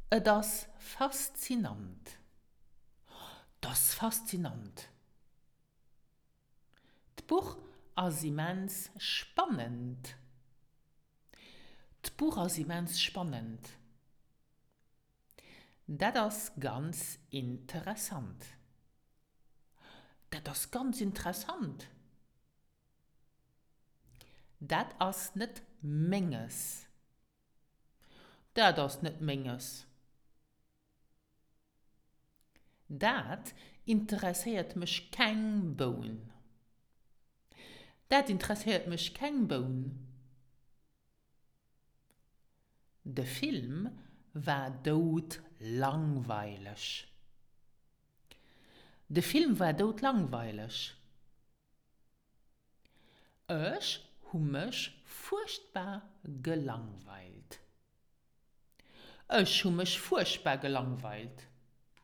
Et ass faszinant. 't ass faszinant. D'Buch ass immens spannend. D'Buch ass immens spannend. Dat ass ganz interessant. Dat ass ganz interessant. Dat ass net Menges. Dat ass net Menges. Dat interesséiert mech keng Boun. Dat interesséiert mech keng Boun. De Film war doudlangweileg. De Film war doudlangweileg. Ech hu mech fuerchtbar gelangweilt. Ech hu mech fuerchtbar gelangweilt.